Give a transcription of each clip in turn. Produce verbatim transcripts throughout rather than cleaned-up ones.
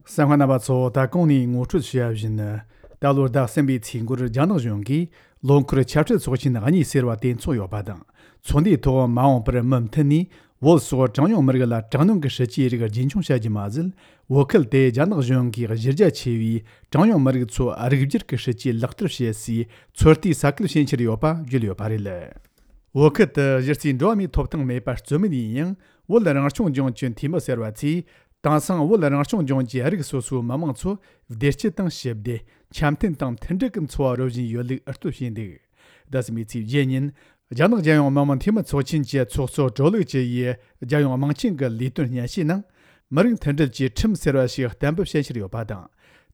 གསན་མཁན་རྣམ་པ་ཚོ། ད་གོང་ནས་ངོ་སྤྲོད་བྱས་པ་བཞིན། ད་ལོའི་ཟླ་གསུམ་པའི་ཚེས་འགོར་རྒྱ་ནག་གཞུང་གིས་ལོ་འཁོར་ཆབ་སྲིད་ཚོགས་ཆེན་གཉིས་ཟེར་བ་དེ་འཚོགས་ཡོད་པ་དང་། ཚོགས་འདུའི་ཐོག་མ་འོངས་པར་མུ་མཐུད་ནས་བོད་སོགས་གྲངས་ཉུང་མི་རིགས་ལ་དྲག་གནོན་གྱི་སྲིད་ཇུས་རིགས་རྒྱུན་འཁྱོངས་བྱ་རྒྱུ་མ་ཟད། བོད་ཁུལ་དེ་རྒྱ་ནག་གཞུང་གིས་གཞི་རྒྱ་ཆེ་བའི་གྲངས་ཉུང་མི་རིགས་ཚོ་རིགས་སྒྱུར་གྱི་སྲིད་ཇུས་ལག་བསྟར་བྱེད་སའི་ཚོད་ལྟའི་ས་ཁུལ་ཕྱིན་ཆེར་ཡོད་པ་བརྗོད་ཡོད་པ་རེད། བོད་ཁུལ་དུ་གཞི་རྩའི་འགྲོ་བ་མིའི་ཐོབ་ཐང་མེད་པ་རྩོད་མེད་ཡིན་ཡང་། བོད་རང་སྐྱོང་ལྗོངས་ཀྱི་འཐུས་མི་ཟེར་བ་ཚོས། དེང་སང་བོད་རང་སྐྱོང་ལྗོངས་ཀྱི་རིགས་སོ་སོའི་མི་མང་ཚོ་བདེ་སྐྱིད་དང་ཞི་བདེ། འཆམ་མཐུན་དང་མཐུན་སྒྲིལ་གྱི་འཚོ་བ་རོལ་བཞིན་ཡོད་ལུགས་ཨུ་ལྟོ་བྱས་འདུག། ཟླ་གསུམ་པའི་ཚེས་བརྒྱད་ཉིན། རྒྱ་ནག་རྒྱལ་ཡོངས་མི་དམངས་འཐུས་མི་ཚོགས་ཆེན་གྱི་ཚོགས་གཙོ་ཀྲོའུ་ལི་ཅི་ཡིས་རྒྱལ་ཡོངས་དམངས་ཆེན་གྱི་ལས་དོན་སྙན་ཞུའི་ནང་། མི་རིགས་མཐུན་སྒྲིལ་གྱི་ཁྲིམས་ཟེར་བ་ཞིག་གཏན་འབེབས་བྱེད་འཆར་ཡོད་པ་དང་།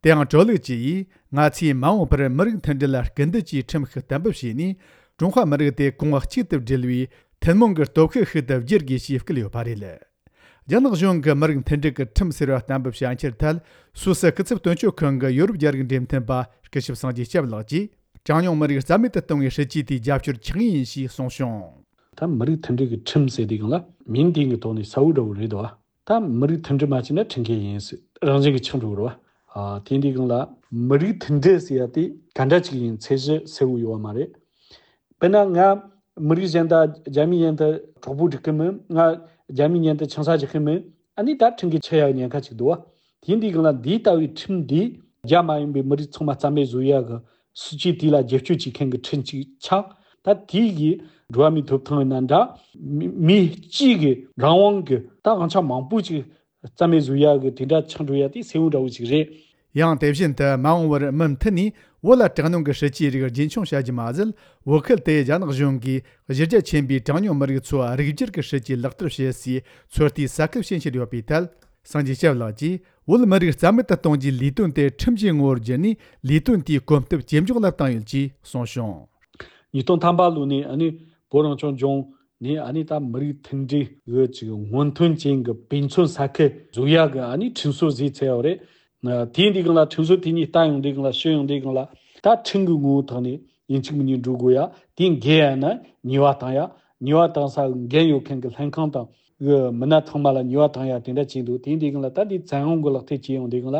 དེའང་ཀྲོའུ་ལི་ཅི་ཡིས། ང་ཚོས་མ་འོངས་པར་མི་རིགས་མཐུན་སྒྲིལ་ལ་སྐུལ་འདེད་ཀྱི་ཁྲིམས་ཤིག་གཏན་འབེབས་བྱས་ནས། ཀྲུང་ཧྭ་མི་རིགས་དེ་གོང་བུ་གཅིག་ཏུ་སྒྲིལ་བའི་ཐུན་མོང་གི་སྟོབས་ཤུགས་ཤིག་ཏུ་བསྒྱུར་དགོས་ཞེས་བསྐུལ་ཡོད་པ་རེད། རྒྱ་ནག་གཞུང་གིས་མི་རིགས་མཐུན་སྒྲིལ་གྱི་ཁྲིམས་ཟེར་བ་གཏན་འབེབས་བྱ་འཆར་ཐད། སུད་སི་སྐུ་ཚབ་དོན་གཅོད་ཁང་གི་ཡོ་རོབ་རྒྱ་རིགས་འབྲེལ་མཐུད་པ་སྐུ་ཞབས་སངས་རྒྱས་སྐྱབས་ལགས་ཀྱིས། གྲངས་ཉུང་མི་རིགས་རྩ་མེད་དུ་གཏོང་བའི་སྲིད་ཇུས་དེ་རྒྱབ་སྐྱོར་ཆགས་ངེས་ཡིན་ཞེས་གསུངས་བྱུང་། ད་མི་རིགས་མཐུན་སྒྲིལ་གྱི་ཁྲིམས་ཟེར་དུས་སྒང་ལ་མིང་དེ་གི་ཐོག་ནས་གསལ་བོ་འདྲ་བོ་རེད་དོ། ད་མི་རིགས་མཐུན་སྒྲིལ་མ་བྱས་ན་ཁྲིམས་འགལ་ཡིན་ཟེར་རང་བཞིན་གྱི་ཆགས་འགྲོ་གི་རེད་བ། ཨ། དེ་འདི་སྒང་ལ་མི་རིགས་མཐུན་སྒྲིལ་ཟེར་ཡ་དེ་ག་འདྲ་ཅིག་ཡིན་ཚད་གཞི་གསལ་བོ་ཡོད་བ་མ་རེད། དཔེར་ན་ང་མི་རིགས་གཞན་དང་རྒྱ་མི་མཉམ་དུ་གྲོགས་པོ་སྒྲིག་གི་མིན། ང་རྒྱ་མི་མཉམ་དུ་ཆང་ས་རྒྱག་གི་མིན། ཨ་ནི་ད་ཁྲིམས་འགལ་ཆགས་ཡ་ཉེན་ཁ་ཅིག་འདུག་བ། དེ་འདི་སྒང་ལ་འདི་ལྟ་བུའི་ཁྲིམས་འདི་རྒྱ་མ་ཡིན་པའི་མི་རིགས་ཚང་མ་རྩ་མེད་བཟོ་ཡ་གི་སྲིད་ཇུས་དེ་ལ་རྒྱབ་སྐྱོར་བྱེད་མཁན་གྱི་ཁྲིམས་ཅིག་ཆགས། ད་དེ་གི་འགྲོ་བ་མིའི་ཐོབ་ཐང་ཡིན་ན་འདྲ། མི་མི་གཅིག་གི་རང་དབང་གི་ད་དབང་ཆ་མང་པོ་ཅིག་རྩ་མེད་བཟོ་ཡ་གི་དེ་འདྲ་ཆགས་འགྲོ་ཡ་དེ་གསལ་བོ་འདྲ་བོ་ཅིག་རེད། ཡང་དེ་བཞིན་དུ་མ་འོངས་པར་མུ་མཐུད་ནས་བོད་ལ་དྲག་གནོན་གྱི་སྲིད་ཇུས་རིགས་རྒྱུན་འཁྱོངས་བྱ་རྒྱུ་མ་ཟད། བོད་ཁུལ་དེ་རྒྱ་ནག་གཞུང་གིས་གཞི་རྒྱ་ཆེན་པོའི་གྲངས་ཉུང་མི་རིགས་ཚོ་རིགས་སྒྱུར་གྱི་སྲིད་ཇུས་ལག་བསྟར་བྱེད་སའི་ཚོད་ལྟའི་ས་ཁུལ་ཕྱིན་ཆེར་ཡོད་པའི་ཐད། སངས་རྒྱས་སྐྱབས་ལགས་ཀྱིས། བོད་མི་རིགས་རྩ་མེད་དུ་གཏོང་རྒྱུའི་ལས་དོན་དེ་ཁྲིམས་ཀྱི་ངོ་བོར་བསྒྱུར་ནས། ལས་དོན་དེའི་གོམ་སྟབས་ཇེ་མགྱོགས་ལ་བཏང་ཡོད་ཅེས་གསུངས་བྱུང་། ཉིས་སྟོང་ཐམ་པ་ལོ་ནས་ཨ་ནི་བོད་རང་སྐྱོང་ལྗོངས་ནས་ཨ་ནི་ད་མི་རིགས་མཐུན་སྒྲིལ་གི་ཅིག་སྔོན་ཐོན་ཅན་གྱི་དཔེ་མཚོན་ས་ཁུལ་བཟོ་ཡ་གི་ཨ་ནི་ཁྲིམས་སྲོལ་བཟོས་ཚར་ཡོད་རེད། དེ་འདི་སྒང་ལ་ཁྲིམས་སྲོལ་དེ་གཉིས་ལྟ་ཡོང་དུས་སྒང་ལ་ཞུ་ཡོང་དུས་སྒང་ལ་ད་ཁྲིམས་ཀྱི་ངོ་བོ་ཐོག་ནས་ཡིན་གཅིག་མིན་གཉིས་འགྲོ་དགོས་ཡ། དེ་འགལ་ཡ་ན་ཉེས་པ་བཏང་ཡ། ཉེས་པ་བཏང་ས་འགན་ཡོད་མཁན་གྱི་ལྷན་ཁང་དང་གི་མི་སྣ་ཚང་མ་ལ་ཉེས་པ་བཏང་ཡ་དེ་འདྲ་བྱས་འདུག། དེ་འདི་སྒང་ལ་ད་འདི་བཙན་དབང་གི་ལག་དེབ་བྱས་ཡོང་དུས་སྒང་ལ།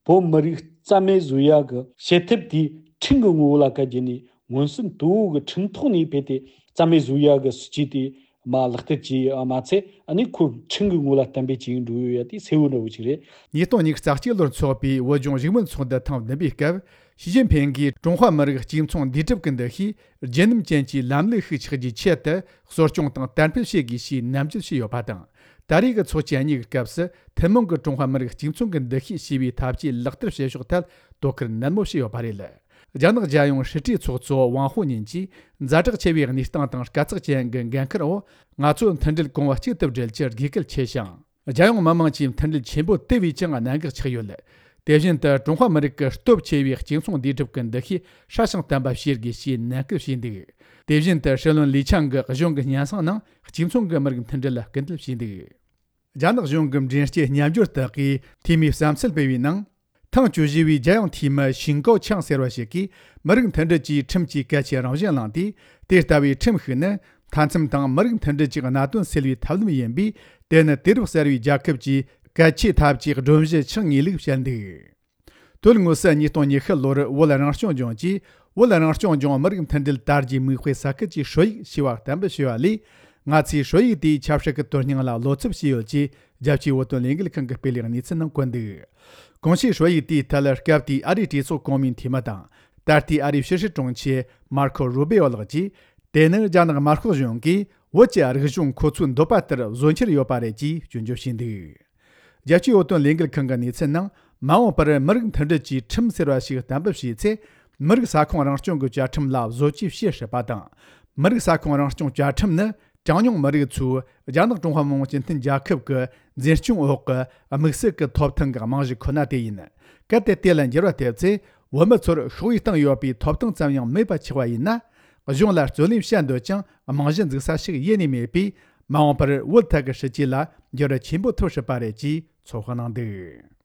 བོད་མི་རིགས་རྩ་མེད་བཟོ་ཡ་གི་བྱེད་ཐབས་དེ་ཁྲིམས་ཀྱི་ངོ་བོ་ལ་བཀལ་རྒྱུ་ནས་མངོན་སུམ་དོད་པོ་གི་ཁྲིམས་ཐོག་ནས་ཕེབས་ཏེ་རྩ་མེད་བཟོ་ཡ་གི་སྲིད་ཇུས་དེ་མ་ལག་བསྟར་བྱས་ཡོད་མ་ཚད། ཨ་ནི་ཁོ་ཁྲིམས་ཀྱི་ངོ་ལ་གཏན་འབེབས་བྱས་འགྲོ་ཡོད་ཡ་དེ་གསལ་བོ་འདྲ་བོ་ཅིག་རེད། ཉིས་སྟོང་ཉི་ཤུ་རྩ་གཅིག་ལོར་འཚོགས་པའི་བོད་ལྗོངས་བཞུགས་མོལ་ཚོགས་འདུ་ཐེངས་བདུན་པའི་སྐབས། ཞི་ཅིན་ཕིང་གིས་ཀྲུང་ཧྭ་མི་རིགས་གཅིག་མཚུངས་འདུས་གྲུབ་ཀྱི་འདུ་ཤེས་རྒྱུན་རིམ་ཅན་གྱི་ལམ་ལུགས་ཤིག་ཆགས་རྒྱུའི་ཆེད་དུ་གསོ་སྐྱོང་དང་དར་སྤེལ་བྱེད་དགོས་ཞེས་ནན་བརྗོད་བྱས་ཡོད་པ་དང་། ད་རེས་ཀྱི་ཚོགས་ཆེན་གཉིས་ཀྱི་སྐབས་སུ་ཐུན་མོང་གི་ཀྲུང་ཧྭ་མི་རིགས་གཅིག་མཚུངས་ཀྱི་འདུ་ཤེས་ཞེས་པའི་ཐབས་ཇུས་ལག་བསྟར་བྱེད་ཕྱོགས་ཐད་དོ་ཁུར་ནན་མོ་བྱས་ཡོད་པ་རེད། རྒྱ་ནག་རྒྱལ་ཡོངས་སྲིད་གྲོས་ཚོགས་གཙོ་ཝང་ཧོ་ཉིན་གྱིས་ཛ་དྲག་ཆེ་བའི་གནས་སྟངས་དང་དཀའ་ཚེགས་ཅན་གྱི་འགན་ཁུར་འོག་ང་ཚོ་མཐུན་སྒྲིལ་གོང་བུ་གཅིག་ཏུ་སྒྲིལ་རྒྱུར་དགོས་གལ་ཆེ་ཞིང་། རྒྱལ་ཡོངས་མི་དམངས་ཀྱི་མཐུན་སྒྲིལ་ཆེན་པོ་དེ་བས་ཀྱང་གནད་འགག་ཆགས་ཡོད། དེ་བཞིན་དུ་ཀྲུང་ཧྭ་མི་རིགས་ཀྱི་སྟོབས་ཆེ་བའི་གཅིག་མཚུངས་འདུས་གྲུབ་ཀྱི་འདུ་ཤེས་སྲ་ཞིང་བརྟན་པ་བྱེད་དགོས་ཞེས་ནན་སྐུལ་བྱས་འདུག། དེ་བཞིན་དུ་ཧྲི་ལོན་ལི་ཆང་གིས་གཞུང་གི་སྙན་སེང་ནང་གཅིག་མཚུངས་ཀྱི་མི་རིགས་མཐུན་སྒྲིལ་ལ་སྐུལ་འདེད་བྱས་འདུག། རྒྱ་ནག་གཞུང་གི་མགྲིན་སྐྱེལ་མཉམ་སྦྱོར་དག་གིས་འཐུས་མིའི་བསམ་ཚུལ་སྤེལ་བའི་ནང་། ཐེངས་བཅུ་བཞི་བའི་རྒྱལ་ཡོངས་འཐུས་མི་ཞིང་ཀའོ་ཆང་ཟེར་བ་ཞིག་གིས་མི་རིགས་མཐུན་སྒྲིལ་གྱི་ཁྲིམས་ཀྱི་གལ་ཆེའི་རང་བཞིན་བླངས་ཏེ། དེ་ལྟ་བུའི་ཁྲིམས་ཤིག་ནི་མཐའ་མཚམས་དང་མི་རིགས་མཐུན་སྒྲིལ་གྱི་གནད་དོན་སེལ་བའི་ཐབས་ལམ་ཡིན་པས། དེ་ནི་དུས་རབས་གསར་བའི་རྒྱལ་ཁབ་ཀྱི་གལ་ཆེའི་ཐབས་ཀྱི་སྒྲོམ་གཞི་ཆགས་ངེས་ལུགས་བཤད་འདུག། དོན་དངོས་སུ་ཉིས་སྟོང་ཉི་ཤུ་ལོར་བོད་རང་སྐྱོང་ལྗོངས་ཀྱིས་བོད་རང་སྐྱོང་ལྗོངས་མི་རིགས་མཐུན་སྒྲིལ་དར་རྒྱས་མིག་དཔེ་ས་ཁུལ་གྱི་ཧྲོ་ཡིག་ཞེས་པ་གཏན་འབེབས་བྱས་པ་ལས། ང་ཚོས་ཧྲོ་ཡིག་དེའི་ཆབ་སྲིད་ཀྱི་དོན་སྙིང་ལ་བློ་འཚབ་བྱས་ཡོད་ཅེས་རྒྱལ་སྤྱིའི་བོད་དོན་ལས་འགུལ་ཁང་གིས་སྤེལ་བའི་གནས་ཚུལ་ནང་བཀོད་འདུག། གོང་ཞུས་ཧྲོ་ཡིག་དེའི་ཐད་སྐབས་དེའི་ཨ་རིའི་གྲོས་ཚོགས་གོང་མའི་འཐུས་མི་དང་། ད་ལྟའི་ཨ་རིའི་ཕྱི་སྲིད་དྲུང་ཆེ་མར་ཁོ་རུ་བེའོ་ལགས་ཀྱིས། དེ་ནི་རྒྱ་ནག་དམར་ཤོག་གཞུང་གིས་བོད་ཀྱི་རིག་གཞུང་ཁོ་ཚོའི་འདོད་པ་ལྟར་བཟོ་འཆར་ཡོད་པ་རེད་ཅེས་སྐྱོན་བརྗོད་བྱས་འདུག། རྒྱལ་སྤྱིའི་བོད་དོན་ལས་འགུལ་ཁང་གི་གནས་ཚུལ་ནང་། མ་འོངས་པར་མི་རིགས་མཐུན་སྒྲིལ་གྱི་ཁྲིམས་ཟེར་བ་ཞིག་གཏན་འབེབས་བྱས་ཚེ། མི་རིགས་ས་ཁོངས་རང་སྐྱོང་གི་བཅའ་ཁྲིམས་ལ་བཟོ་བཅོས་བྱེད་སྲིད་པ་དང་། མི་རིགས་ས་ཁོངས་རང་སྐྱོང་བཅའ་ཁྲིམས་ནི་གྲངས་ཉུང་མི་རིགས་ཚོས་རྒྱ་ནག་ཀྲུང་ཧྭ་མི་དམངས་སྤྱི་མཐུན་རྒྱལ་ཁབ་ཀྱི་འཛིན་སྐྱོང་འོག་གི་དམིགས་བསལ་གྱི་ཐོབ་ཐང་གི་རྨང་གཞི་ཁོ་ན་དེ་ཡིན། གལ་ཏེ་དེ་ལ་འགྱུར་བ་ཐེབས་ཚེ། བོད་མི་ཚོར་ཤོག་བུའི་སྟེང་ཡོད་པའི་ཐོབ་ཐང་ཙམ་ཡང་མེད་པ་ཆགས་པ་ཡིན་ན། གཞུང་ལ་རྩོད་ལེན་བྱ་འདོད་ཀྱང་རྨང་གཞི་འཛུགས་ས་ཞིག་ཡེ་ནས་མེད་པས། མ་འོངས་པར་བོད་ཐད་ཀྱི་སྲིད་ཇུས་ལ་འགྱུར་བ་ཆེན་པོ་ཐེབས་སྲིད་པ་རེད་ཅེས་ཚོད་དཔག་གནང་འདུག།